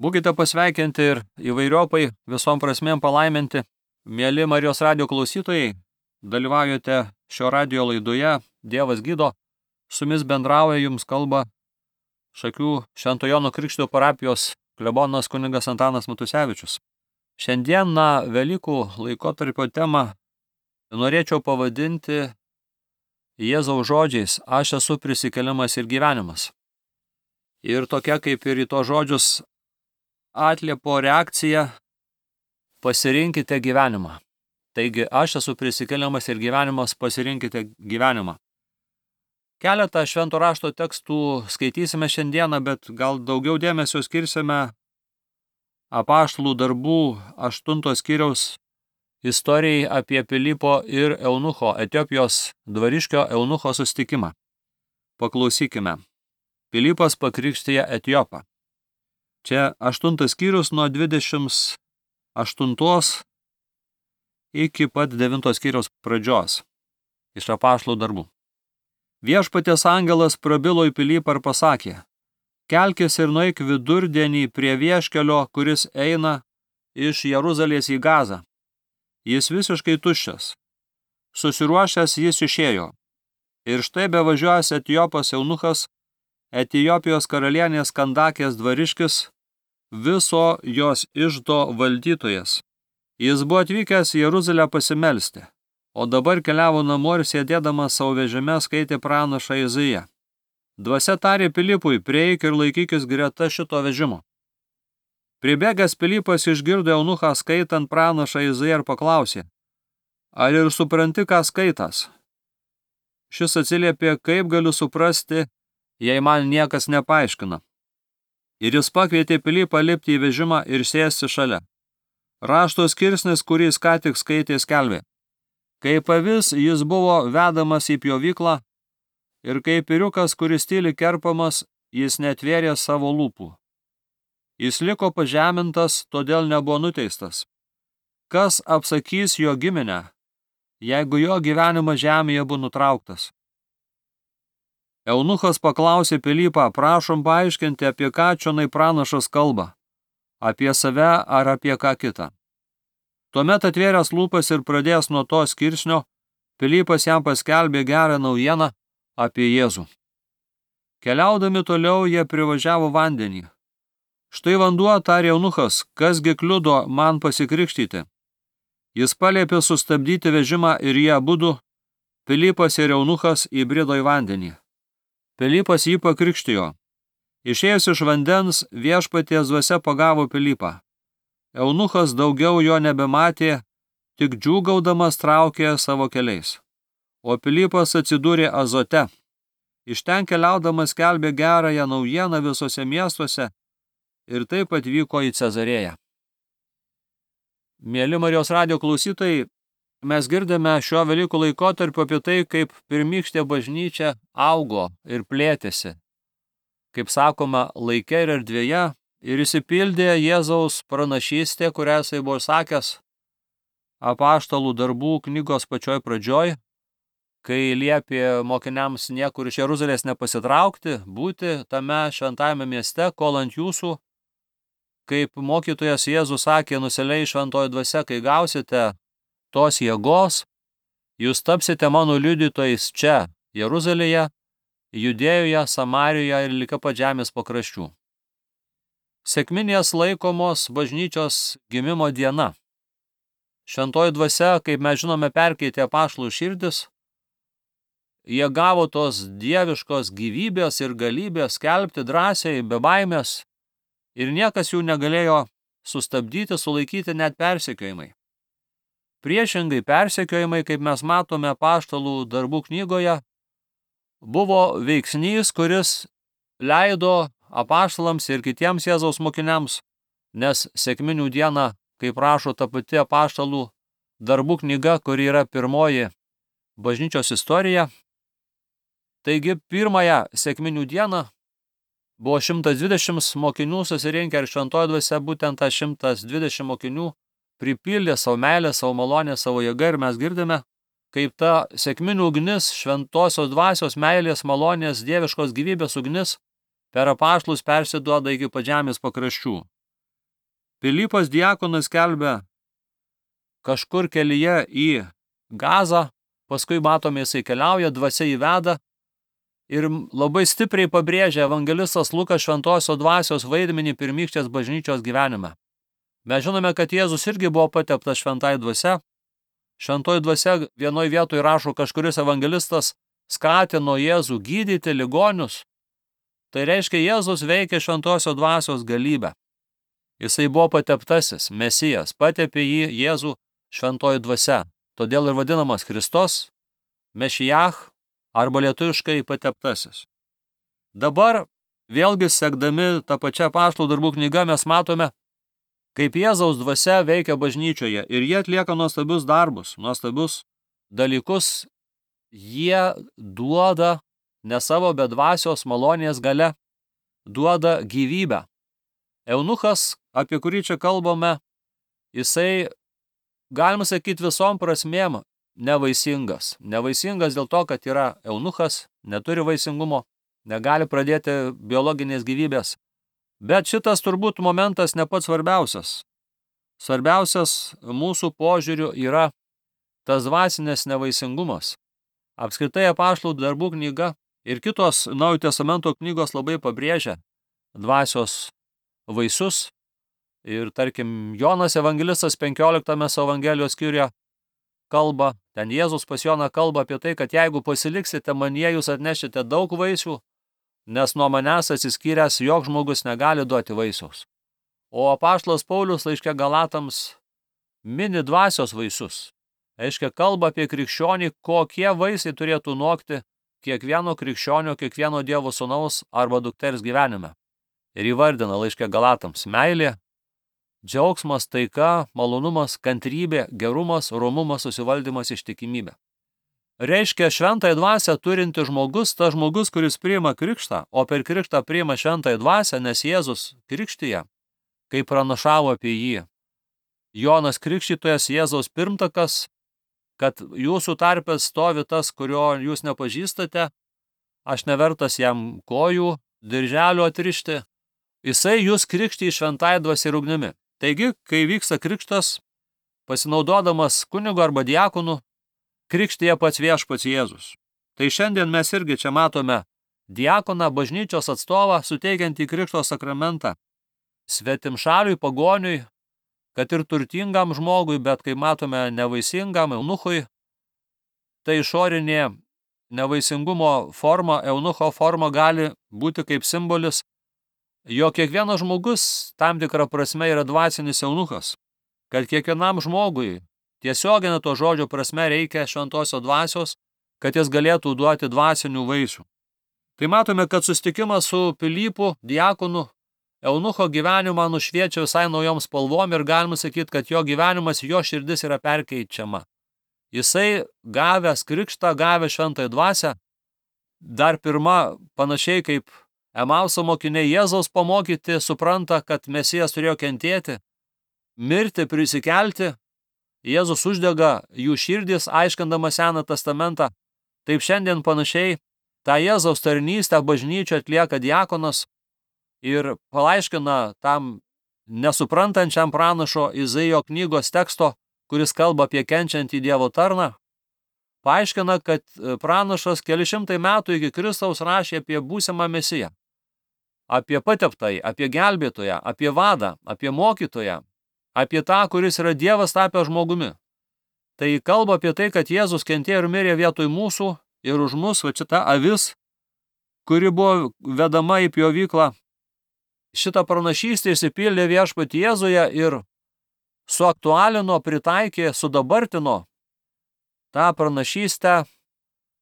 Būkite pasveikinti ir įvairiopai visom prasmėm palaiminti. Mieli Marijos radijo klausytojai, dalyvaujate šio radijo laidoje Dievas gydo. Su jumis bendrauja, jums kalba Šakių Švento Jono Krikštytojo parapijos klebonas kunigas Antanas Matusevičius. Šiandien Velykų laikotarpio temą norėčiau pavadinti Jėzaus žodžiais: aš esu prisikėlimas ir gyvenimas. Ir tokia kaip ir į to žodžius atliepo reakcija: pasirinkite gyvenimą. Taigi, aš esu prisikėlimas ir gyvenimas, pasirinkite gyvenimą. Keletą švento rašto tekstų skaitysime šiandieną, bet gal daugiau dėmesio skirsime Apaštalų darbų 8 skyriaus istorijai apie Pilypo ir Eunucho, Etiopijos dvariškio Eunucho susitikimą. Paklausykime. Pilypas pakrikštija Etiopą. Čia 8 skyrius nuo 28 iki pat 9 skyriaus pradžios iš Apaštalų darbų. Viešpaties angelas prabilo į Pilypą ir pasakė: kelkis ir nueik vidurdienį prie vieškelio, kuris eina iš Jeruzalės į Gazą. Jis visiškai tuščias. Susiruošęs jis išėjo. Ir štai bevažiuojas Etiopas Eunuchas, Etiopijos karalienės Kandakės dvariškis, viso jos iždo valdytojas. Jis buvo atvykęs į Jeruzalę pasimelsti, o dabar keliavo namo ir sėdėdamas savo vežime skaitė pranašą Izaiją. Dvasia tarė Pilypui: prieik ir laikykis greta šito vežimo. Pribėgęs Pilypas išgirdo Eunuchą skaitant pranašą Izaiją ir paklausė: ar ir supranti, ką skaitas? Šis atsiliepė: kaip galiu suprasti, jei man niekas nepaaiškina. Ir jis pakvietė Pilypą lipti į vežimą ir sėsti šalia. Rašto skirsnis, kurį jis ką tik skaitė, skelbė: kaip avis jis buvo vedamas į pjovyklą, ir kaip ėriukas, kuris tyliai kerpamas, jis netvėrė savo lūpų. Jis liko pažemintas, todėl nebuvo nuteistas. Kas apsakys jo giminę, jeigu jo gyvenimas žemėje buvo nutrauktas? Eunuchas paklausė Pilypą: prašom paaiškinti, apie ką čionai pranašas kalba, apie save ar apie ką kitą. Tuomet atvėręs lūpas ir pradėjęs nuo to skirsnio, Pilypas jam paskelbė gerą naujieną apie Jėzų. Keliaudami toliau jie privažiavo vandenį. Štai vanduo, tarė Eunuchas, kasgi kliudo man pasikrikštyti? Jis paliepė sustabdyti vežimą ir jie abudu, Pilypas ir Eunuchas, įbrido į vandenį. Pilypas jį pakrikštijo. Išėjęs iš vandens, Viešpaties dvasia pagavo Pilypą. Eunuchas daugiau jo nebematė, tik džiūgaudamas traukė savo keliais. O Pilypas atsidūrė Azote. Iš ten keliaudamas skelbė gerąją naujieną visose miestuose ir taip atvyko į Cezarėją. Mieli Marijos radijo klausytojai, mes girdime šio Velykų laikotarpiu apie tai, kaip pirmykštė bažnyčia augo ir plėtėsi. Kaip sakoma, laike ir erdvėje, ir išsipildė Jėzaus pranašystė, kurią jisai buvo sakęs Apaštalų darbų knygos pačioj pradžioj, kai liepė mokiniams niekur iš Jeruzalės nepasitraukti, būti tame šventajame mieste, kol ant jūsų, kaip mokytojas Jėzus sakė, nusileis šventoji dvasia, kai gausite tos jėgos, jūs tapsite mano liudytojais čia, Jeruzalėje, Judėjoje, Samarijoje ir liko pat žemės pakraščių. Sekminės laikomos bažnyčios gimimo diena. Šventoji dvasia, kaip mes žinome, perkeitė apaštalų širdis. Jie gavo tos dieviškos gyvybės ir galybės skelbti drąsiai, be baimės, ir niekas jų negalėjo sustabdyti, sulaikyti net persekiojimai. Priešingai, persekiojimai, kaip mes matome apaštalų darbų knygoje, buvo veiksnys, kuris leido apaštalams ir kitiems Jėzaus mokiniams, nes sekminių diena, kaip rašo ta pati apaštalų darbų knyga, kuri yra pirmoji bažnyčios istorija. Taigi, pirmąją sekminių dieną buvo 120 mokinių susirinkę ir šventoji dvasia būtent tą 120 mokinių pripildė savo meilę, savo malonę, savo jėgą, ir mes girdime, kaip ta sekminių ugnis, šventosios dvasios meilės, malonės, dieviškos gyvybės ugnis per apaštalus persiduoda iki pat žemės pakraščių. Pilypas diakonas skelbia kažkur kelyje į Gazą, paskui matome jisai keliauja, dvasia įveda ir labai stipriai pabrėžia evangelistas Lukas šventosios dvasios vaidmenį pirmykštės bažnyčios gyvenime. Mes žinome, kad Jėzus irgi buvo pateptas šventai dvasia. Šventoji dvasia vienoj vietoj rašo, kažkuris evangelistas skatino Jėzų gydyti ligonius. Tai reiškia, Jėzus veikia šventosios dvasios galybę. Jisai buvo pateptasis, Mesijas, patepė jį Jėzų šventoji dvasia. Todėl ir vadinamas Kristos, Mešijach arba lietuviškai pateptasis. Dabar, vėlgi sekdami tą pačią apaštalų darbų knygą, mes matome, kaip Jėzaus dvasia veikia bažnyčioje ir jie atlieka nuostabius darbus, nuostabius dalykus. Jie duoda ne savo, bet dvasios malonės gale, duoda gyvybę. Eunuchas, apie kurį čia kalbame, jisai, galima sakyti, visom prasmėm nevaisingas. Nevaisingas dėl to, kad yra eunuchas, neturi vaisingumo, negali pradėti biologinės gyvybės. Bet šitas turbūt momentas ne pats svarbiausias. Svarbiausias mūsų požiūriu yra tas dvasinės nevaisingumas. Apskritai apaštalų darbų knyga ir kitos Naujojo testamento knygos labai pabrėžia dvasios vaisius. Ir tarkim, Jonas evangelistas 15 savo evangelijos skyriuje kalba, ten Jėzus pas Joną kalba apie tai, kad jeigu pasiliksite manyje, jūs atnešite daug vaisių, nes nuo manęs atsiskyręs joks žmogus negali duoti vaisiaus. O apaštalas Paulius laiške Galatams mini dvasios vaisius. Reiškia, kalba apie krikščionį, kokie vaisiai turėtų nokti kiekvieno krikščionio, kiekvieno Dievo sūnaus arba dukters gyvenime. Ir įvardina laiške Galatams meilė, džiaugsmas, taika, malonumas, kantrybė, gerumas, romumas, susivaldymas, ištikimybė. Reiškia, šventąją dvasią turinti žmogus, tas žmogus, kuris priima krikštą, o per krikštą priima šventąją dvasią, nes Jėzus krikštija, kai pranašavo apie jį. Jonas Krikštytojas, Jėzaus pirmtakas, kad jūsų tarpe stovi tas, kurio jūs nepažįstate, aš nevertas jam kojų, dirželio atrišti. Jisai jūs krikštija šventąją dvasią ir ugnimi. Taigi, kai vyksta krikštas, pasinaudodamas kunigu arba diakonu, krikštija pats viešpats Jėzus. Tai šiandien mes irgi čia matome diakoną, bažnyčios atstovą, suteikiantį krikšto sakramentą svetimšaliui, pagoniui, kad ir turtingam žmogui, bet kai matome nevaisingam eunuchui, tai išorinė nevaisingumo forma, eunucho forma gali būti kaip simbolis, jo kiekvienas žmogus tam tikrą prasme yra dvasinis eunuchas, kad kiekvienam žmogui tiesioginė to žodžio prasme reikia šventosios dvasios, kad jis galėtų duoti dvasinių vaisių. Tai matome, kad susitikimas su Pilypu, diakonu, eunucho gyvenimą nušviečia visai naujom spalvom ir galima sakyti, kad jo gyvenimas, jo širdis yra perkeičiama. Jisai gavęs krikštą, gavęs šventąją dvasią, dar pirma, panašiai kaip Emauso mokiniai Jėzaus pamokyti, supranta, kad Mesijas turėjo kentėti, mirti, prisikelti. Jėzus uždega jų širdis, aiškindamas Seną testamentą. Taip šiandien panašiai tą Jėzaus tarnystę bažnyčio atlieka diakonas ir palaiškina tam nesuprantančiam pranašo Izaijo knygos teksto, kuris kalba apie kenčiantį Dievo tarną. Paaiškina, kad pranašas keli šimtai metų iki Kristaus rašė apie būsimą Mesiją, apie pateptąjį, apie gelbėtoją, apie vadą, apie mokytoją, apie tą, kuris yra Dievas tapęs žmogumi. Tai kalba apie tai, kad Jėzus kentėjo ir mirė vietoj mūsų ir už mus, va šita avis, kuri buvo vedama į pjovyklą. Šitą pranašystę išsipildė viešpatį Jėzuje ir suaktualino, pritaikė, sudabartino tą pranašystę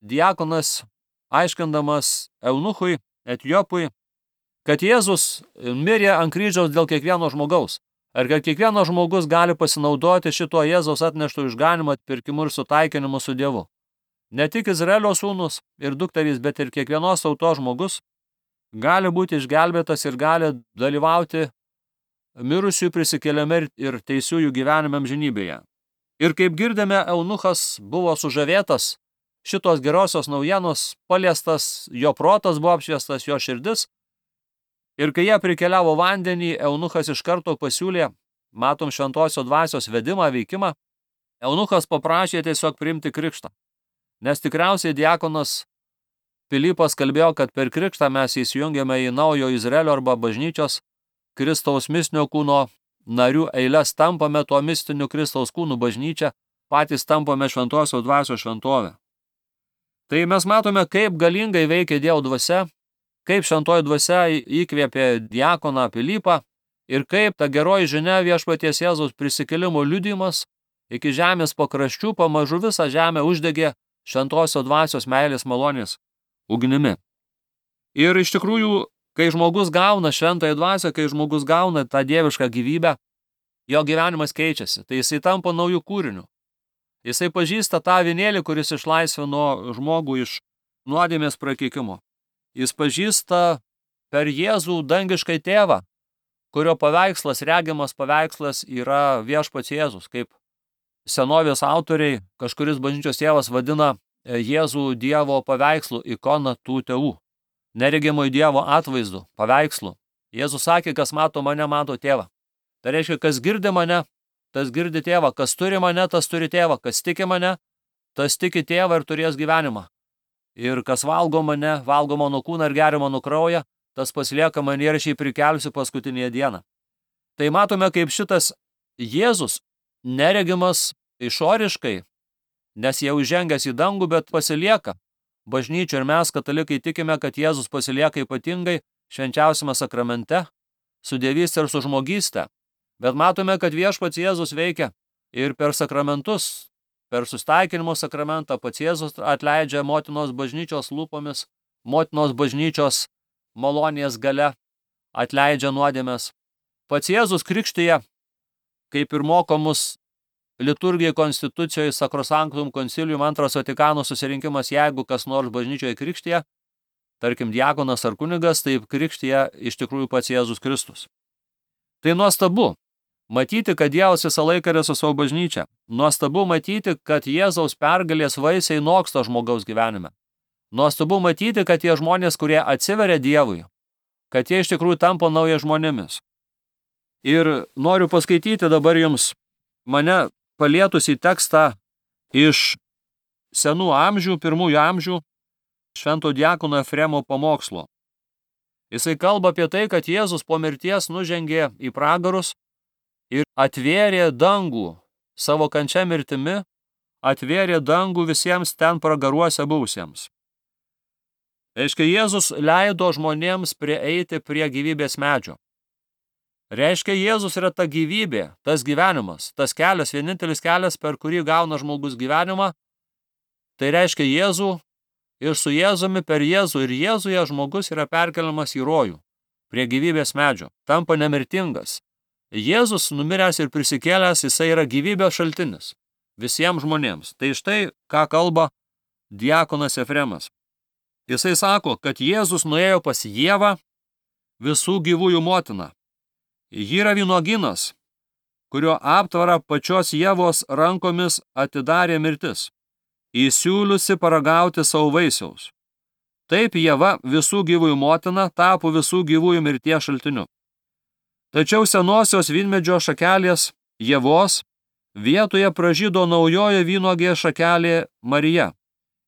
diakonas, aiškindamas eunuchui, Etiopui, kad Jėzus mirė ant kryžiaus dėl kiekvieno žmogaus. Ir kad kiekvienas žmogus gali pasinaudoti šito Jėzaus atneštų išganimo atpirkimu ir sutaikinimu su Dievu. Ne tik Izraelio sūnus ir dukterys, bet ir kiekvienos tautos žmogus gali būti išgelbėtas ir gali dalyvauti mirusiųjų prisikėlime ir teisiųjų gyvenime amžinybėje. Ir kaip girdime, eunuchas buvo sužavėtas šitos gerosios naujienos, paliestas, jo protas buvo apšviestas, jo širdis. Ir kai jie prikeliavo vandenį, eunuchas iš karto pasiūlė matom šventosios dvasios vedimą, veikimą, eunuchas paprašė tiesiog priimti krikštą. Nes tikriausiai diakonas Pilypas kalbėjo, kad per krikštą mes įsijungiame į naujo Izraelio arba bažnyčios Kristaus mistinio kūno narių eiles, tampame tuo mistiniu Kristaus kūnu bažnyčia, patys tampame šventosios dvasios šventovę. Tai mes matome, kaip galingai veikia Dievo dvasia, kaip šventoji dvasia įkvėpė diakoną Pilypą ir kaip ta geroji žinia viešpaties Jėzaus prisikėlimo liudijimas iki žemės pakraščių pamažu visą žemę uždegė šventosios dvasios meilės malonės ugnimi. Ir iš tikrųjų, kai žmogus gauna šventąją dvasią, kai žmogus gauna tą dievišką gyvybę, jo gyvenimas keičiasi, tai jisai tampa naujų kūrinių. Jisai pažįsta tą avinėlį, kuris išlaisvino žmogų iš nuodėmės prakeikimo. Jis pažįsta per Jėzų dangiškai tėvą, kurio paveikslas, regimas paveikslas yra viešpats Jėzus, kaip senovės autoriai, kažkuris bažnyčios tėvas vadina Jėzų Dievo paveikslu, ikona tų tėvų, neregimo Dievo atvaizdu, paveikslu. Jėzus sakė, kas mato mane, mato tėvą. Tai reiškia, kas girdi mane, tas girdi tėvą, kas turi mane, tas turi tėvą, kas tiki mane, tas tiki tėvą ir turės gyvenimą. Ir kas valgo mane, valgo mano kūną ir geria mano kraują, tas pasilieka mane ir aš jį prikelsiu paskutinėje dieną. Tai matome, kaip šitas Jėzus neregimas išoriškai, nes jau įžengęs į dangų, bet pasilieka bažnyčia ir mes, katalikai, tikime, kad Jėzus pasilieka ypatingai švenčiausiame sakramente, su dievystė ir su žmogystė. Bet matome, kad viešpats Jėzus veikia ir per sakramentus, per sustaikinimo sakramentą pats Jėzus atleidžia motinos bažnyčios lūpomis, motinos bažnyčios malonės gale, atleidžia nuodėmes. Pats Jėzus krikštyje, kaip ir moko mus liturgijai konstitucijoje Sacrosanctum Concilium antras Vatikano susirinkimas, jeigu kas nors bažnyčioje krikštyje, tarkim diakonas ar kunigas, taip krikštyje iš tikrųjų pats Jėzus Kristus. Tai nuostabu matyti, kad Dievas visą laiką yra su savo bažnyčia. Nuostabu matyti, kad Jėzaus pergalės vaisiai noksta žmogaus gyvenime. Nuostabu matyti, kad tie žmonės, kurie atsiveria Dievui, kad jie iš tikrųjų tampa nauja žmonėmis. Ir noriu paskaityti dabar jums mane palietusį tekstą iš senų amžių, pirmųjų amžių, švento diakono Efremo pamokslo. Jisai kalba apie tai, kad Jėzus po mirties nužengė į pragarus ir atvėrė dangų savo kančia mirtimi, atvėrė dangų visiems ten pragaruose buvusiems. Reiškia, Jėzus leido žmonėms prieiti prie gyvybės medžio. Reiškia, Jėzus yra ta gyvybė, tas gyvenimas, tas kelias, vienintelis kelias, per kurį gauna žmogus gyvenimą. Tai reiškia Jėzų ir su Jėzumi per Jėzų ir Jėzuje žmogus yra perkeliamas į rojų, prie gyvybės medžio, tampa nemirtingas. Jėzus numiręs ir prisikėlęs, jisai yra gyvybės šaltinis visiems žmonėms. Tai štai, ką kalba diakonas Efremas. Jisai sako, kad Jėzus nuėjo pas Ievą, visų gyvųjų motiną. Ji yra vynuogynas, kurio aptvarą pačios Ievos rankomis atidarė mirtis, įsiūliusi paragauti savo vaisiaus. Taip Ieva, visų gyvųjų motina, tapo visų gyvųjų mirties šaltiniu. Tačiau senosios vynmedžio šakelės Ievos vietoje pražydo naujoje vynuogė šakelė Marija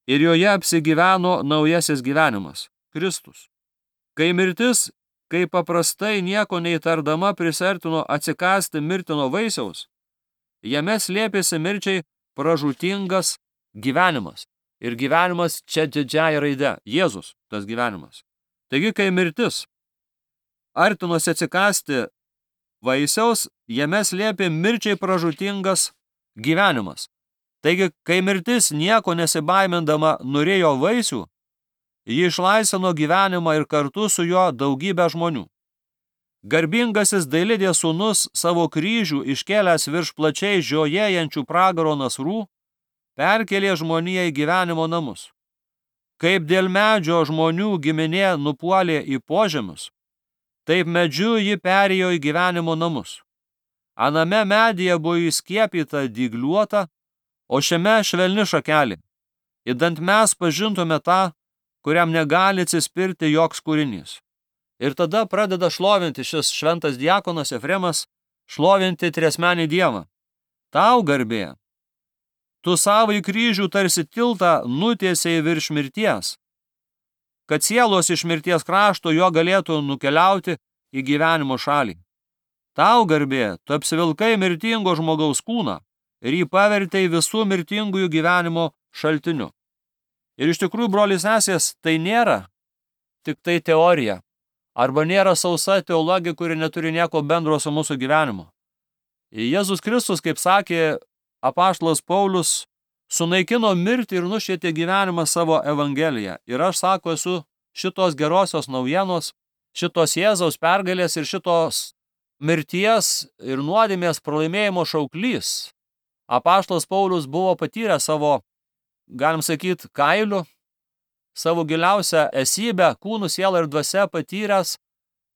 ir joje apsigyveno naujasis gyvenimas – Kristus. Kai mirtis, kaip paprastai nieko neįtardama prisertino atsikąsti mirtino vaisiaus, jame slėpėsi mirčiai pražūtingas gyvenimas. Ir gyvenimas čia didžiąja raide – Jėzus, tas gyvenimas. Taigi, kai mirtis artinosi atsikąsti vaisiaus, jame slėpė mirčiai pražūtingas gyvenimas. Taigi, kai mirtis nieko nesibaimindama norėjo vaisių, ji išlaisvino gyvenimą ir kartu su juo daugybę žmonių. Garbingasis Dailidės sūnus savo kryžių iškėlęs virš plačiai žiojėjančių pragaro nasrų, perkėlė žmoniją į gyvenimo namus. Kaip dėl medžio žmonių giminė nupuolė į požemius, taip medžiu ji perėjo į gyvenimo namus. Aname medyje buvo įskiepyta dygliuota, o šiame švelni šakelė. Idant mes pažintume tą, kuriam negali atsispirti joks kūrinys. Ir tada pradeda šlovinti šis šventas diakonas Efremas šlovinti triasmenį Dievą. Tau garbė. Tu savai kryžių tarsi tiltą nutiesiai virš mirties, kad sielos iš mirties krašto jo galėtų nukeliauti į gyvenimo šalį. Tau garbė, tu apsivilkai mirtingo žmogaus kūną ir jį pavertei visų mirtingųjų gyvenimo šaltiniu. Ir iš tikrųjų, broliai sesės, tai nėra tik tai teorija, arba nėra sausa teologija, kuri neturi nieko bendro su mūsų gyvenimu. Jėzus Kristus, kaip sakė apaštalas Paulius, sunaikino mirtį ir nušvietė gyvenimą savo evangeliją. Ir aš, sako, esu šitos gerosios naujienos, šitos Jėzaus pergalės ir šitos mirties ir nuodėmės pralaimėjimo šauklys. Apaštalas Paulius buvo patyręs savo, galim sakyti, kailiu, savo giliausią esybę, kūnų, sielą ir dvasia patyręs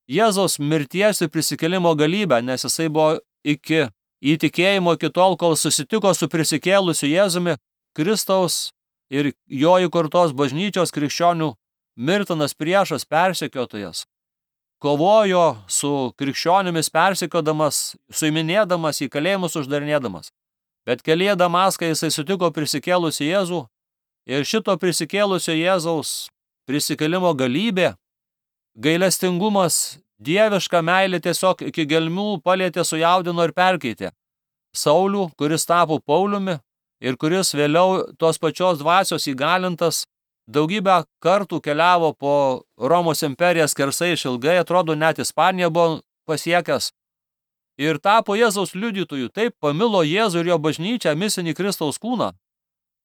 Jėzaus mirties ir prisikėlimo galybę, nes jisai buvo iki įtikėjimo iki tol, kol susitiko su prisikėlusiu Jėzumi, Kristaus ir jo įkurtos bažnyčios krikščionių mirtinas priešas, persekiotojas. Kovojo su krikščionimis persekiodamas, suiminėdamas, į kalėjimus uždarinėdamas. Bet kelyje Damaską jisai sutiko prisikėlusi Jėzų ir šito prisikėlusio Jėzaus prisikėlimo galybė, gailestingumas, dieviška meilė tiesiog iki gelmių palietė, sujaudino ir perkeitė Saulių, kuris tapo Pauliumi ir kuris vėliau tos pačios dvasios įgalintas daugybę kartų keliavo po Romos imperiją skersai išilgai, atrodo net Ispaniją buvo pasiekęs ir tapo Jėzaus liudytojų. Taip pamilo Jėzų ir jo bažnyčią, misinį Kristaus kūną,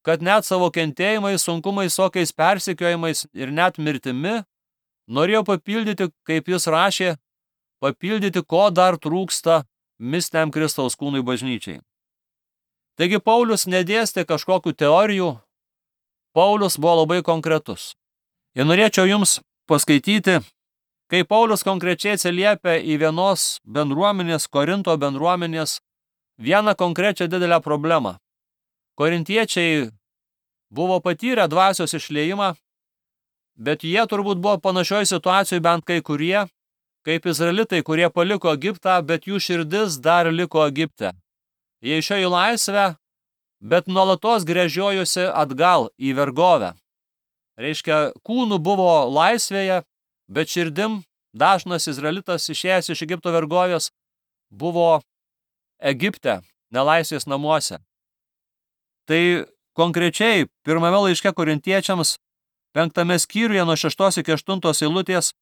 kad net savo kentėjimais, sunkumais, sokiais persekiojimais ir net mirtimi norėjo papildyti, kaip jis rašė, papildyti, ko dar trūksta mistiniam Kristaus kūnui bažnyčiai. Taigi Paulius nedėstė kažkokių teorijų, Paulius buvo labai konkretus. Ir norėčiau jums paskaityti, kai Paulius konkrečiai atsiliepia į vienos bendruomenės, Korinto bendruomenės, vieną konkrečią didelę problemą. Korintiečiai buvo patyrę dvasios išliejimą, bet jie turbūt buvo panašioj situacijoje bent kai kurie, kaip izraelitai, kurie paliko Egiptą, bet jų širdis dar liko Egipte. Jie išėjo į laisvę, bet nuolatos gręžiojosi atgal į vergovę. Reiškia, kūnų buvo laisvėje, bet širdim dažnas izraelitas išėjęs iš Egipto vergovės buvo Egipte, nelaisvės namuose. Tai konkrečiai pirmame laiške korintiečiams 5 skyriuje nuo 6 iki 8 eilutės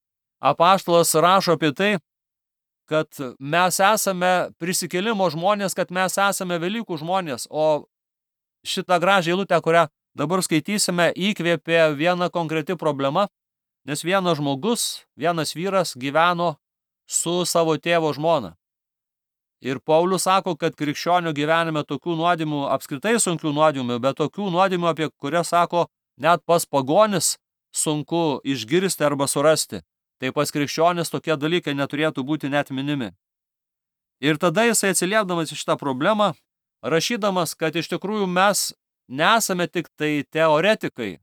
apaštalas rašo apie tai, kad mes esame prisikėlimo žmonės, kad mes esame Velykų žmonės, o šitą gražią eilutę, kurią dabar skaitysime, įkvėpė viena konkreti problema, nes vienas žmogus, vienas vyras gyveno su savo tėvo žmona. Ir Paulius sako, kad krikščionių gyvenime tokių nuodėmių, apskritai sunkių nuodėmių, bet tokių nuodėmių, apie kurias sako, net pas pagonis sunku išgirsti arba surasti. Tai pas krikščionis tokie dalykai neturėtų būti net minimi. Ir tada jisai atsiliepdamas į šitą problemą, rašydamas, kad iš tikrųjų mes nesame tik tai teoretikai,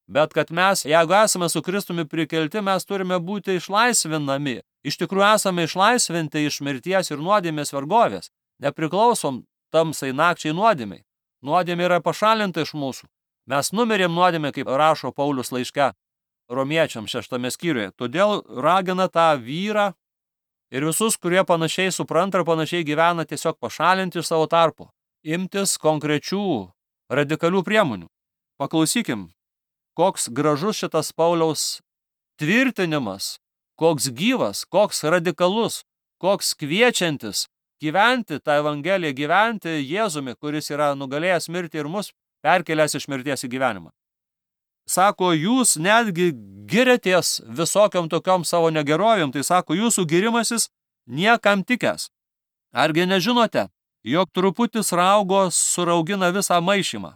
bet kad mes, jeigu esame su Kristumi prikelti, mes turime būti išlaisvinami. Iš tikrųjų esame išlaisvinti iš mirties ir nuodėmės vergovės. Nepriklausom tamsai nakčiai nuodėmiai. Nuodėmė yra pašalinta iš mūsų. Mes numirėm nuodėmę, kaip rašo Paulius laiške Romiečiams 6 skyriuje. Todėl ragina tą vyrą ir visus, kurie panašiai supranta ir panašiai gyvena, tiesiog pašalinti iš savo tarpo. Imtis konkrečių, radikalių priemonių. Paklausykim, koks gražus šitas Pauliaus tvirtinimas, koks gyvas, koks radikalus, koks kviečiantis gyventi tą Evangeliją, gyventi Jėzumi, kuris yra nugalėjęs mirtį ir mus perkelęs iš mirties į gyvenimą. Sako, jūs netgi giriatės visokiom tokiom savo negerovėm, tai sako, jūsų girimasis niekam tikęs. Argi nežinote, jog truputis raugo suraugina visą maišymą?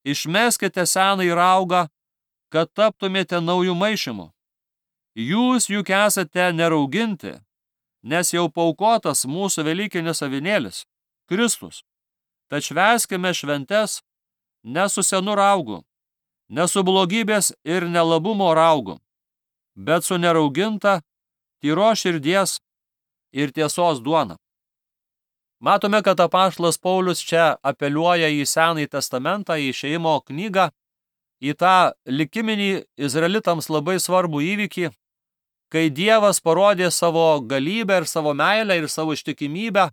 Išmeskite senąjį raugą, kad taptumėte naujų maišymų. Jūs juk esate nerauginti, nes jau paukotas mūsų velykinis avinėlis, Kristus. Tad švęskime šventes ne su senu raugu, ne su blogybės ir nelabumo raugu, bet su nerauginta, tyros širdies ir tiesos duona. Matome, kad apaštalas Paulius čia apeliuoja į Senąjį testamentą, į Išėjimo knygą, į tą likiminį izraelitams labai svarbų įvykį, kai Dievas parodė savo galybę ir savo meilę ir savo ištikimybę,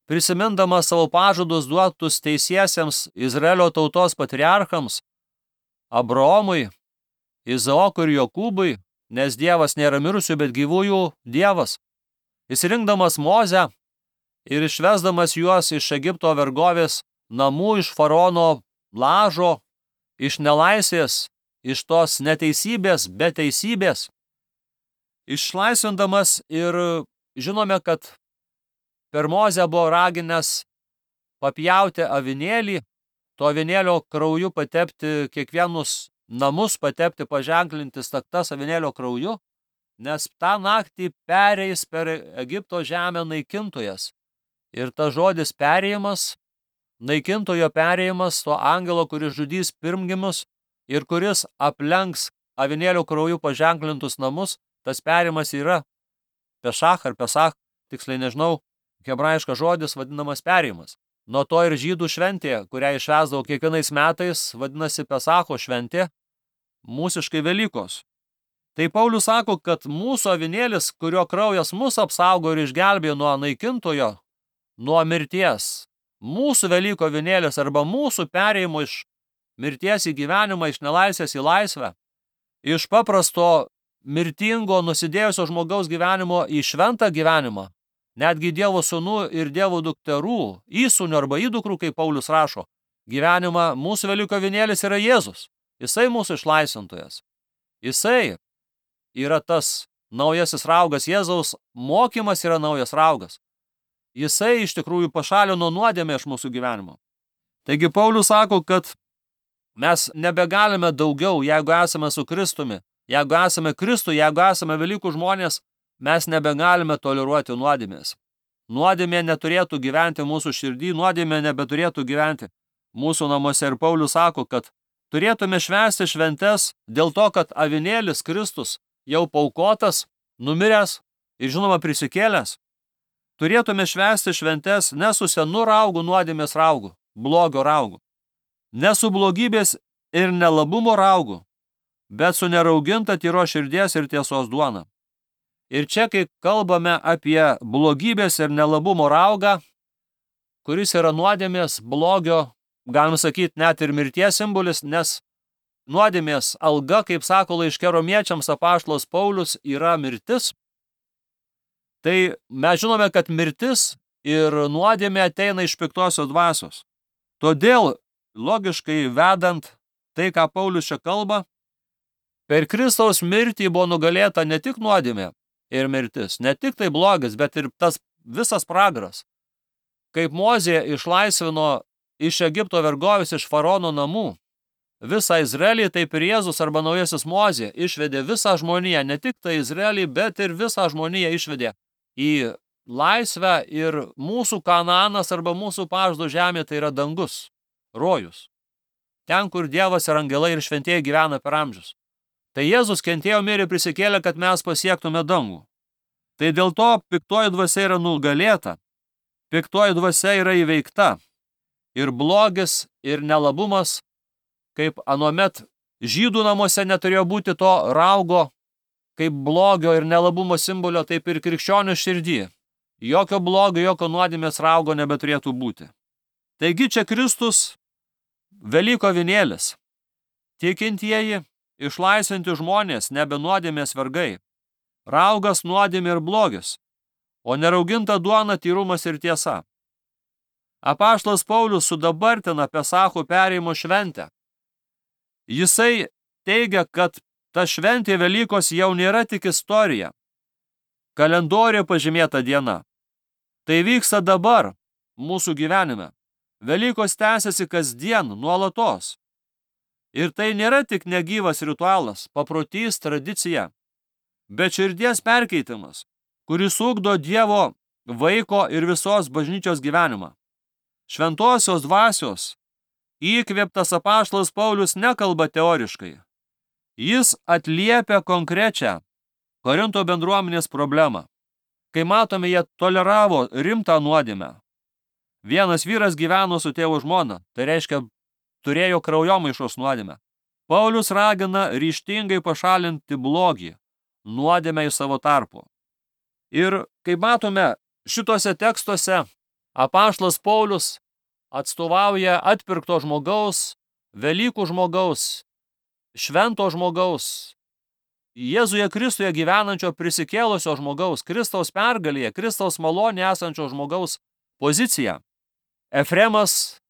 prisimindamas savo pažadus duotus teisiesiems Izraelio tautos patriarchams, Abraomui, Izaokui ir Jokūbui, nes Dievas nėra mirusių, bet gyvųjų Dievas. Išsirinkdamas Mozę ir išvesdamas juos iš Egipto vergovės namų, iš faraono lažo, iš nelaisvės, iš tos neteisybės, be teisybės, išlaisvindamas ir žinome, kad per Mozę buvo raginęs papjauti avinėlį, to avinėlio krauju patepti kiekvienus namus, patepti, paženklinti staktas avinėlio krauju, nes tą naktį pereis per Egipto žemę naikintojas. Ir tas žodis perėjimas, naikintojo perėjimas, to angelo, kuris žudys pirmgimus ir kuris aplenks avinėlio krauju paženklintus namus, tas perėjimas yra Pešach ar Pesach, tiksliai nežinau, hebrajiškas žodis vadinamas perėjimas. Nuo to ir žydų šventė, kurią išvesdavo kiekvienais metais, vadinasi Pesacho šventė, mūsiškai Velykos. Tai Paulius sako, kad mūsų avinėlis, kurio kraujas mus apsaugo ir išgelbėjo nuo naikintojo, nuo mirties, mūsų Velyko avinėlis arba mūsų perėjimo iš mirties į gyvenimą, iš nelaisvės į laisvę, iš paprasto mirtingo, nusidėjusio žmogaus gyvenimo į šventą gyvenimą, netgi Dievo sūnų ir Dievo dukterų, įsūnių arba įdukrų, kaip Paulius rašo, gyvenimą, mūsų Velyko avinėlis yra Jėzus. Jisai mūsų išlaisvintojas. Jisai yra tas naujasis raugas. Jėzaus mokymas yra naujas raugas. Jisai iš tikrųjų pašalino nuodėmę iš mūsų gyvenimo. Taigi Paulius sako, kad mes nebegalime daugiau, jeigu esame su Kristumi, jeigu esame Kristuje, jeigu esame Velykų žmonės, mes nebegalime toleruoti nuodėmės. Nuodėmė neturėtų gyventi mūsų širdį, nuodėmė nebeturėtų gyventi mūsų namuose. Ir Paulius sako, kad turėtume švęsti šventes dėl to, kad avinėlis Kristus jau paukotas, numiręs ir žinoma prisikėlęs. Turėtume švęsti šventes ne su senu raugu, nuodėmės raugu, blogio raugu, ne su blogybės ir nelabumo raugu, bet su nerauginta tyros širdies ir tiesos duona. Ir čia, kai kalbame apie blogybės ir nelabumo raugą, kuris yra nuodėmės, blogio, galim sakyti, net ir mirties simbolis, nes nuodėmės alga, kaip sako laiške Romiečiams apaštalas Paulius, yra mirtis. Tai mes žinome, kad mirtis ir nuodėmė ateina iš piktosios dvasios. Todėl, logiškai vedant tai, ką Paulius čia kalba, per Kristaus mirtį buvo nugalėta ne tik nuodėmė ir mirtis, ne tik tai blogis, bet ir tas visas pragaras. Kaip Mozė išlaisvino iš Egipto vergovės, iš faraono namų visą Izraelį, taip ir Jėzus arba naujasis Mozė išvedė visą žmoniją, ne tik tai Izraelį, bet ir visą žmoniją išvedė į laisvę. Ir mūsų Kanaanas arba mūsų pažado žemė tai yra dangus, rojus. Ten, kur Dievas ir angelai ir šventieji gyvena per amžius. Tai Jėzus kentėjo, mirė, prisikėlė, kad mes pasiektume dangų. Tai dėl to piktoji dvasia yra nugalėta, piktoji dvasia yra įveikta. Ir blogis, ir nelabumas, kaip anuomet žydų namuose neturėjo būti to raugo, kaip blogio ir nelabumo simbolio, taip ir krikščionių širdį. Jokio blogio, jokio nuodėmės raugo nebeturėtų būti. Taigi čia Kristus, Velyko avinėlis. Tikintieji, išlaisvinti žmonės, nebe nuodėmės vergai. Raugas, nuodėmė ir blogis, o nerauginta duona, tyrumas ir tiesa. Apaštalas Paulius sudabartina Pesacho perėjimo šventę. Jisai teigia, kad ta šventė Velykos jau nėra tik istorija, kalendoriuje pažymėta diena. Tai vyksta dabar mūsų gyvenime. Velykos tęsiasi kasdien, nuolatos. Ir tai nėra tik negyvas ritualas, paprotys, tradicija, bet širdies perkeitimas, kuris ugdo Dievo vaiko ir visos bažnyčios gyvenimą. Šventosios dvasios įkvėptas apaštalas Paulius nekalba teoriškai. Jis atliepia konkrečią Korinto bendruomenės problemą. Kai matome, jie toleravo rimtą nuodėmę. Vienas vyras gyveno su tėvo žmona, tai reiškia, turėjo kraujomaišos nuodėmę. Paulius ragina ryžtingai pašalinti blogį, nuodėmę iš savo tarpo. Ir kaip matome, šituose tekstuose apaštalas Paulius atstovauja atpirkto žmogaus, Velykų žmogaus, švento žmogaus, Jėzuje Kristuje gyvenančio prisikėlusio žmogaus, Kristaus pergalėje, Kristaus malonėje esančio žmogaus poziciją. Efremas,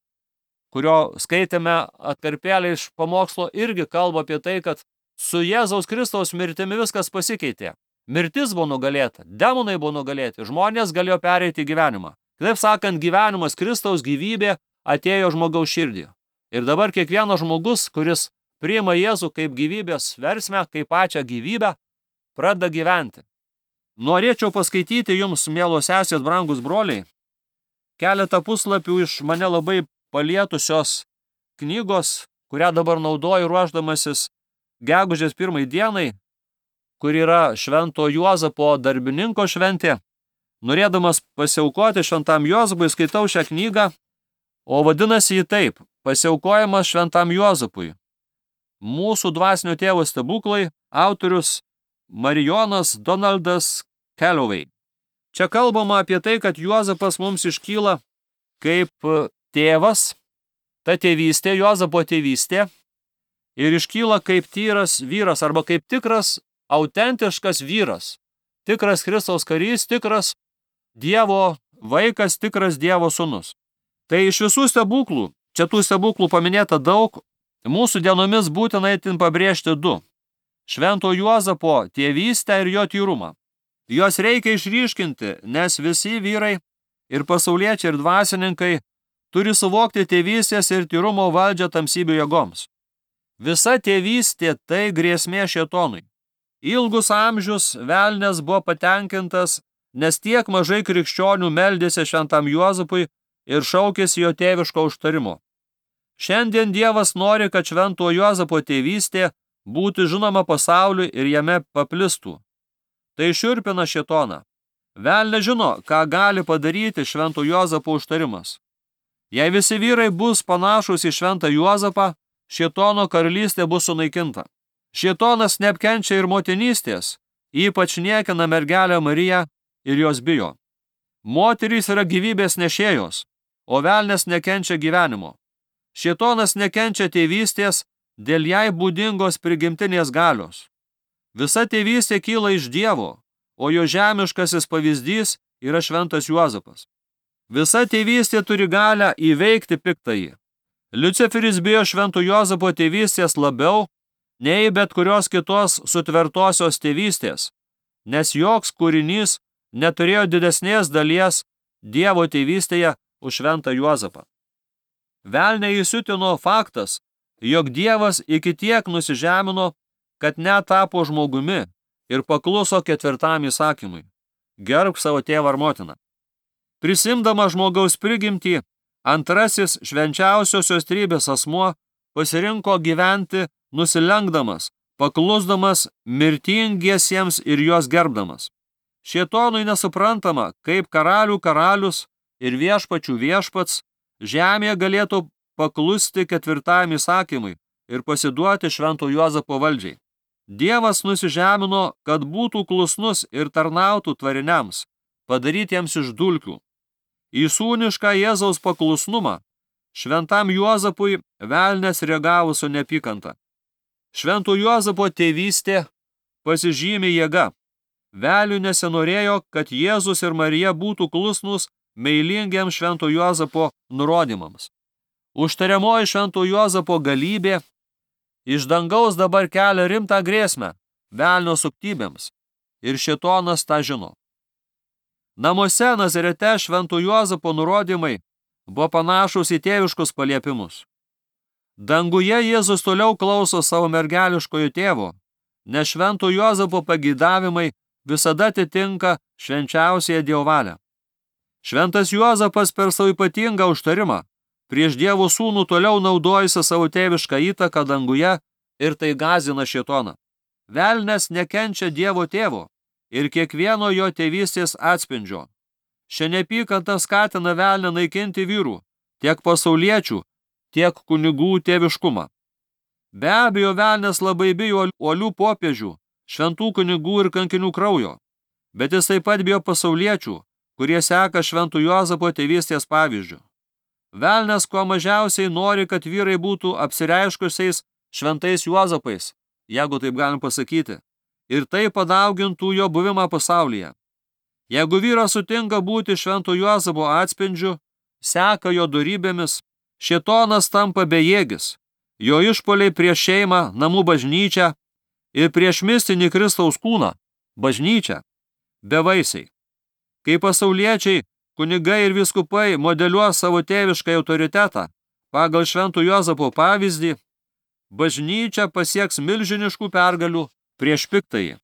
kurio skaitėme atkarpėlę iš pamokslo, irgi kalba apie tai, kad su Jėzaus Kristaus mirtimi viskas pasikeitė. Mirtis buvo nugalėta, demonai buvo nugalėti, žmonės galėjo pereiti į gyvenimą. Kitaip sakant, gyvenimas, Kristaus gyvybė atėjo žmogaus širdį. Ir dabar kiekvienas žmogus, kuris priima Jėzų kaip gyvybės versmę, kaip pačią gyvybę, pradeda gyventi. Norėčiau paskaityti jums, mielos sesės, brangus broliai, keletą puslapių iš mane labai palietusios knygos, kurią dabar naudoju ruošdamasis gegužės 1 dienai, kur yra švento Juozapo darbininko šventė. Norėdamas pasiaukoti šventam Juozapui, skaitau šią knygą, o vadinasi jį taip: Pasiaukojimas šventam Juozapui. Mūsų dvasinio tėvo stebuklai, autorius Marijonas Donaldas Calloway. Čia kalbama apie tai, kad Juozapas mums iškyla kaip tėvas, ta tėvystė, Juozapo tėvystė, ir iškyla kaip tyras vyras arba kaip tikras, autentiškas vyras, tikras Kristaus karys, tikras Dievo vaikas, tikras Dievo sūnus. Tai iš visų stebuklų, čia tų stebuklų paminėta daug, mūsų dienomis būtina itin pabrėžti du: švento Juozapo tėvystę ir jo tyrumą. Jos reikia išryškinti, nes visi vyrai ir pasauliečiai ir dvasininkai turi suvokti tėvystės ir tyrumo valdžią tamsybių jėgoms. Visa tėvystė tai grėsmė šėtonui. Ilgus amžius velnias buvo patenkintas, nes tiek mažai krikščionių meldėsi šventam Juozapui ir šaukėsi jo tėviško užtarimo. Šiandien Dievas nori, kad švento Juozapo tėvystė būtų žinoma pasauliui ir jame paplistų. Tai šiurpina šėtoną. Velnias žino, ką gali padaryti švento Juozapo užtarimas. Jei visi vyrai bus panašus į šventą Juozapą, šėtono karalystė bus sunaikinta. Šėtonas neapkenčia ir motinystės, ypač niekina mergelę Mariją ir jos bijo. Moterys yra gyvybės nešėjos, o velnias nekenčia gyvenimo. Šėtonas nekenčia tėvystės dėl jai būdingos prigimtinės galios. Visa tėvystė kyla iš Dievo, o jo žemiškasis pavyzdys yra šventas Juozapas. Visa tėvystė turi galią įveikti piktąjį. Liuciferis bijo švento Juozapo tėvystės labiau nei bet kurios kitos sutvertosios tėvystės, nes joks kūrinys neturėjo didesnės dalies Dievo tėvystėje už šventą Juozapą. Velnią įsiutino faktas, jog Dievas iki tiek nusižemino, kad net tapo žmogumi ir pakluso 4 įsakymui: gerbk savo tėvą ar motiną. Prisimdama žmogaus prigimtį, antrasis švenčiausiosios trybės asmuo pasirinko gyventi nusilenkdamas, paklusdamas mirtingiesiems ir juos gerbdamas. Šėtonui nesuprantama, kaip karalių karalius ir viešpačių viešpats žemėje galėtų paklusti 4 įsakymui ir pasiduoti švento Juozapo valdžiai. Dievas nusižemino, kad būtų klusnus ir tarnautų tvariniams, padarytiems iš dulkių. Į sūnišką Jėzaus paklusnumą šventam Juozapui velnias reagavo su neapykanta. Švento Juozapo tėvystė pasižymi jėga. Velniui nesinorėjo, kad Jėzus ir Marija būtų klusnus meilingiems švento Juozapo nurodymams. Užtariamoji švento Juozapo galybė iš dangaus dabar kelia rimtą grėsmę velnio suktybėms, ir šėtonas tą žino. Namuose Nazarete švento Juozapo nurodymai buvo panašus į tėviškus paliepimus. Danguje Jėzus toliau klauso savo mergeliškojo tėvo, nes švento Juozapo pageidavimai visada atitinka švenčiausiąją Dievo valią. Šventas Juozapas per savo ypatingą užtarimą prieš Dievo sūnų toliau naudojasi savo tėvišką įtaką danguje ir tai gąsdina šėtoną. Velnias nekenčia Dievo tėvo ir kiekvieno jo tėvystės atspindžio. Šia neapykanta skatina velnią naikinti vyrų, tiek pasauliečių, tiek kunigų tėviškumą. Be abejo, velnias labai bijo uolių popiežių, šventų kunigų ir kankinių kraujo, bet jis taip pat bijo pasauliečių, kurie seka šventų Juozapo tėvystės pavyzdžių. Velnias kuo mažiausiai nori, kad vyrai būtų apsireiškusiais šventais Juozapais, jeigu taip galim pasakyti, ir tai padaugintų jo buvimą pasaulyje. Jeigu vyras sutinka būti švento Juozapo atspindžiu, seka jo dorybėmis, šėtonas tampa bejėgis, jo išpoliai prieš šeimą, namų bažnyčią ir prieš mistinį Kristaus kūną, bažnyčią, bevaisiai. Kai pasauliečiai, kunigai ir vyskupai modeliuos savo tėvišką autoritetą pagal švento Juozapo pavyzdį, bažnyčia pasieks milžiniškų pergalių prieš piktąjį.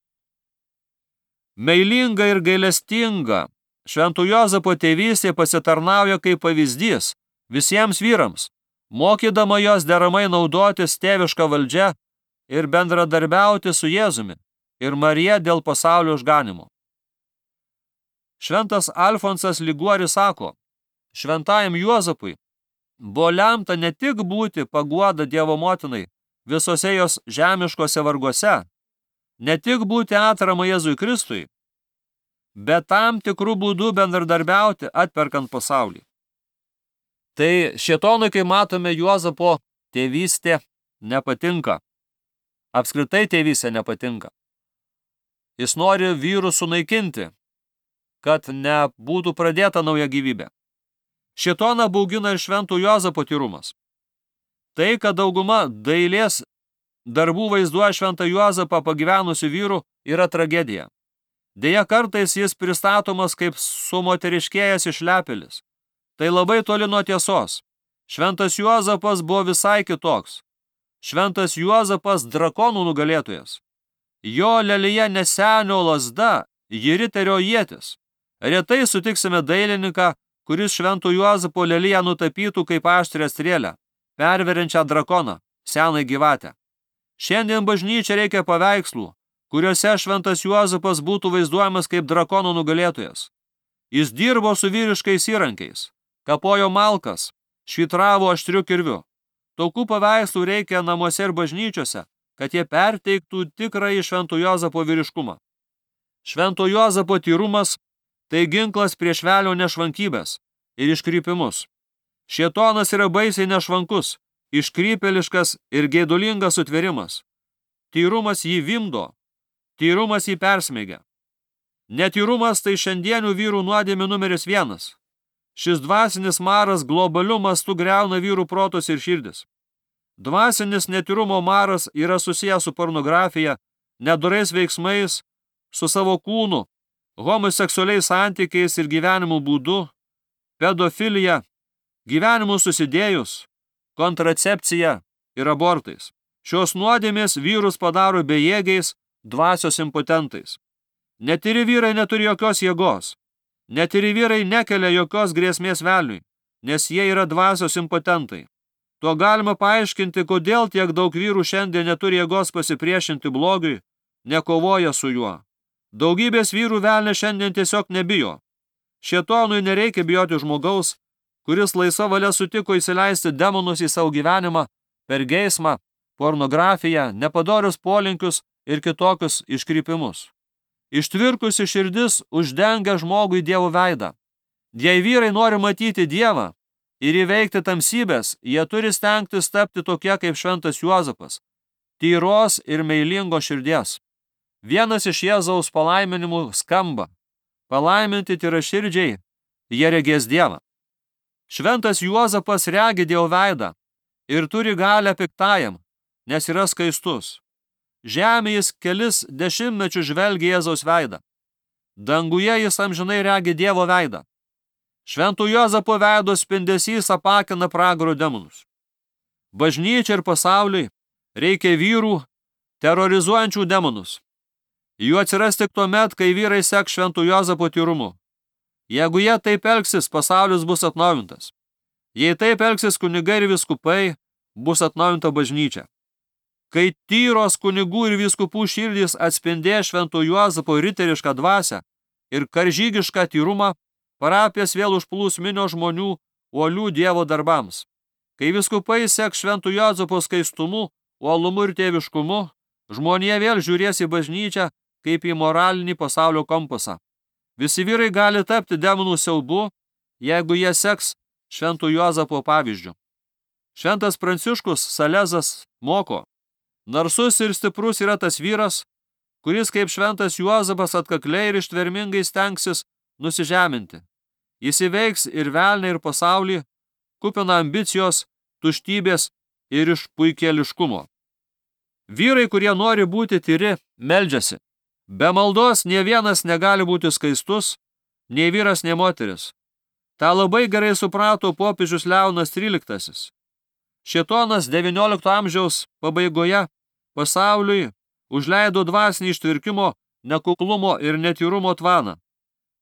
Meilinga ir gailestinga švento Juozapo tėvystė pasitarnauja kaip pavyzdys visiems vyrams, mokydama jos deramai naudotis tėvišką valdžią ir bendradarbiauti su Jėzumi ir Marija dėl pasaulio išganymo. Šventas Alfonsas Liguoris sako, šventajam Juozapui buvo lemta ne tik būti paguoda Dievo motinai visose jos žemiškose varguose, ne tik būti atrama Jėzui Kristui, bet tam tikrų būdų bendradarbiauti atperkant pasaulį. Tai šėtonui, kai matome, Juozapo tėvystė nepatinka. Apskritai tėvystė nepatinka. Jis nori vyrus sunaikinti, kad nebūtų pradėta nauja gyvybė. Šėtoną baugina ir švento Juozapo tyrumas. Tai, kad dauguma dailės darbų vaizduoja šventą Juozapą pagyvenusių vyrų, yra tragedija. Deja, kartais jis pristatomas kaip sumoteriškėjęs išlepėlis. Tai labai toli nuo tiesos. Šventas Juozapas buvo visai kitoks. Šventas Juozapas drakonų nugalėtojas. Jo lelija ne senio lazda, ji riterio ietis. Retai sutiksime dailininką, kuris švento Juozapo leliją nutapytų kaip aštrią strėlę, perveriančią drakoną, senai gyvatę. Šiandien bažnyčia reikia paveikslų, kuriuose šventas Juozapas būtų vaizduojamas kaip drakonų nugalėtojas. Jis dirbo su vyriškais įrankiais, kapojo malkas, švitravo aštriu kirviu. Tokių paveikslų reikia namuose ir bažnyčiose, kad jie perteiktų tikrąjį švento Juozapo vyriškumą. Švento Juozapo tyrumas tai ginklas prieš velnio nešvankybės ir iškrypimus. Šėtonas yra baisiai nešvankus, iškrypėliškas ir geidulingas sutvėrimas. Tyrumas jį vimdo, tyrumas jį persmeigia. Netyrumas tai šiandienių vyrų nuodėmė numeris 1. Šis dvasinis maras globaliu mastu griauna vyrų protus ir širdis. Dvasinis netyrumo maras yra susijęs su pornografija, nedorais veiksmais, su savo kūnu, homoseksualiais santykiais ir gyvenimo būdu, pedofilija, gyvenimu susidėjus, kontracepcija ir abortais. Šios nuodėmės vyrus padaro bejėgiais, dvasios impotentais. Netyri vyrai neturi jokios jėgos. Netyri vyrai nekelia jokios grėsmės velniui, nes jie yra dvasios impotentai. Tuo galima paaiškinti, kodėl tiek daug vyrų šiandien neturi jėgos pasipriešinti blogiui, nekovoja su juo. Daugybės vyrų velnė šiandien tiesiog nebijo. Šėtonui nereikia bijoti žmogaus, kuris laisva valia sutiko įsileisti demonus į savo gyvenimą per geismą, pornografiją, nepadorius polinkius ir kitokius iškrypimus. Ištvirkusi širdis uždengia žmogui Dievo veidą. Jei vyrai nori matyti Dievą ir įveikti tamsybės, jie turi stengtis tapti tokie kaip šventas Juozapas, tyros ir meilingos širdies. Vienas iš Jėzaus palaiminimų skamba: palaiminti tyraširdžiai, jie regės Dievą. Šventas Juozapas regi Dievo veidą ir turi galią piktajam, nes yra skaistus. Žemė jis kelis dešimtmečių žvelgia Jėzaus veidą. Danguje jis amžinai regi Dievo veidą. Švento Juozapo veido spindesys apakina pragaro demonus. Bažnyčia ir pasauliui reikia vyrų terorizuojančių demonus. Jų atsiras tik tuomet, kai vyrai seks švento Juozapo tyrumu. Jeigu jie taip elgsis, pasaulis bus atnaujintas. Jei taip elgsis kunigai ir vyskupai, bus atnaujinta bažnyčia. Kai tyros kunigų ir vyskupų širdys atspindės švento Juozapo riterišką dvasią ir karžygišką tyrumą, Parapijas vėl užplūs minios žmonių uolių Dievo darbams. Kai vyskupai seks šventų Juozapo skaistumu, uolumu ir tėviškumu, žmonija vėl žiūrės į bažnyčią kaip į moralinį pasaulio kompasą. Visi vyrai gali tapti demonų siaubu, jeigu jie seks šventų Juozapo pavyzdžiu. Šventas Pranciškus Salezas moko: narsus ir stiprus yra tas vyras, kuris kaip šventas Juozapas atkakliai ir ištvermingai stengsis nusižeminti. Jis įveiks ir velnią, ir pasaulį, kupina ambicijos, tuštybės ir išpuikėliškumo. Vyrai, kurie nori būti tyri, meldžiasi. Be maldos nė vienas negali būti skaistus, nei vyras, nei moteris. Ta labai gerai suprato popiežius Leonas XIII. Šėtonas XIX amžiaus pabaigoje pasauliui užleido dvasinį ištvirkimo, nekuklumo ir netyrumo tvaną.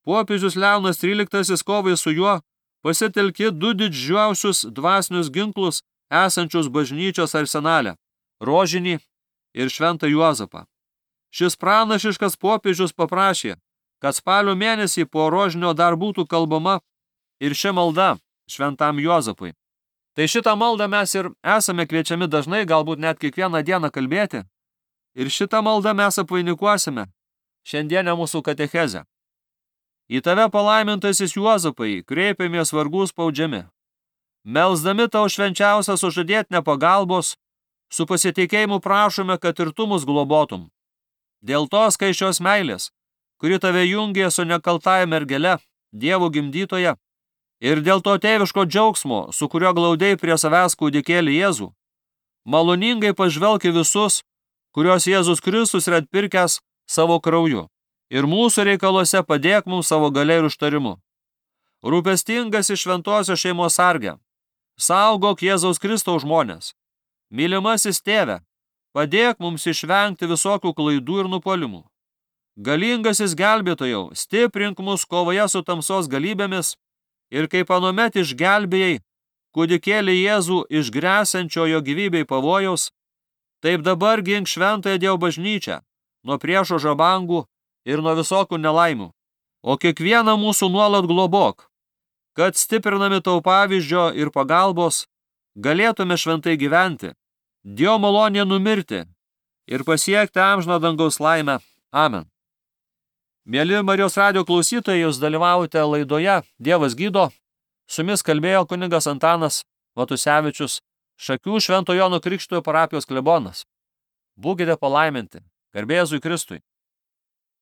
Popiežius Leonas XIII kovai su juo pasitelkė du didžiausius dvasinius ginklus esančius bažnyčios arsenale – rožinį ir šventą Juozapą. Šis pranašiškas popiežius paprašė, kad spalio mėnesį po rožinio dar būtų kalbama ir ši malda šventam Juozapui. Tai šitą maldą mes ir esame kviečiami dažnai, galbūt net kiekvieną dieną kalbėti. Ir šitą maldą mes apvainikuosime šiandienę mūsų katechezę. Į tave palaimintasis Juozapai kreipiamės vargų spaudžiami. Melsdami tau švenčiausią sužadėtinę pagalbos, su pasitikėjimu prašome, kad ir tu mus globotum. Dėl tos skaisčios meilės, kuri tave jungė su nekaltąja mergele, Dievo gimdytoja, ir dėl to tėviško džiaugsmo, su kurio glaudei prie savęs kūdikėlį Jėzų, maloningai pažvelk į visus, kurios Jėzus Kristus yra atpirkęs savo krauju, ir mūsų reikaluose padėk mums savo galia ir užtarimu. Rūpestingas iš šventosios šeimos sarge, saugok Jėzaus Kristaus žmonės. Mylimasis tėve, padėk mums išvengti visokių klaidų ir nupuolimų. Galingasis gelbėtojau, stiprink mus kovoje su tamsos galybėmis ir kaip anuomet išgelbėjai kūdikėlį Jėzų iš gresiančio jo gyvybei pavojaus, taip dabar gink šventąją Dievo bažnyčią nuo priešo žabangų ir nuo visokių nelaimių, o kiekvieną mūsų nuolat globok, kad stiprinami tau pavyzdžio ir pagalbos galėtume šventai gyventi, Dievo malonėje numirti ir pasiekti amžiną dangaus laimę. Amen. Mieli Marijos radijo klausytojai, jūs dalyvaujate laidoje Dievas gydo. Su jumis kalbėjo kunigas Antanas Matusevičius, Šakių Švento Jono Krikštytojo parapijos klebonas. Būkite palaiminti. Garbė Jėzui Kristui.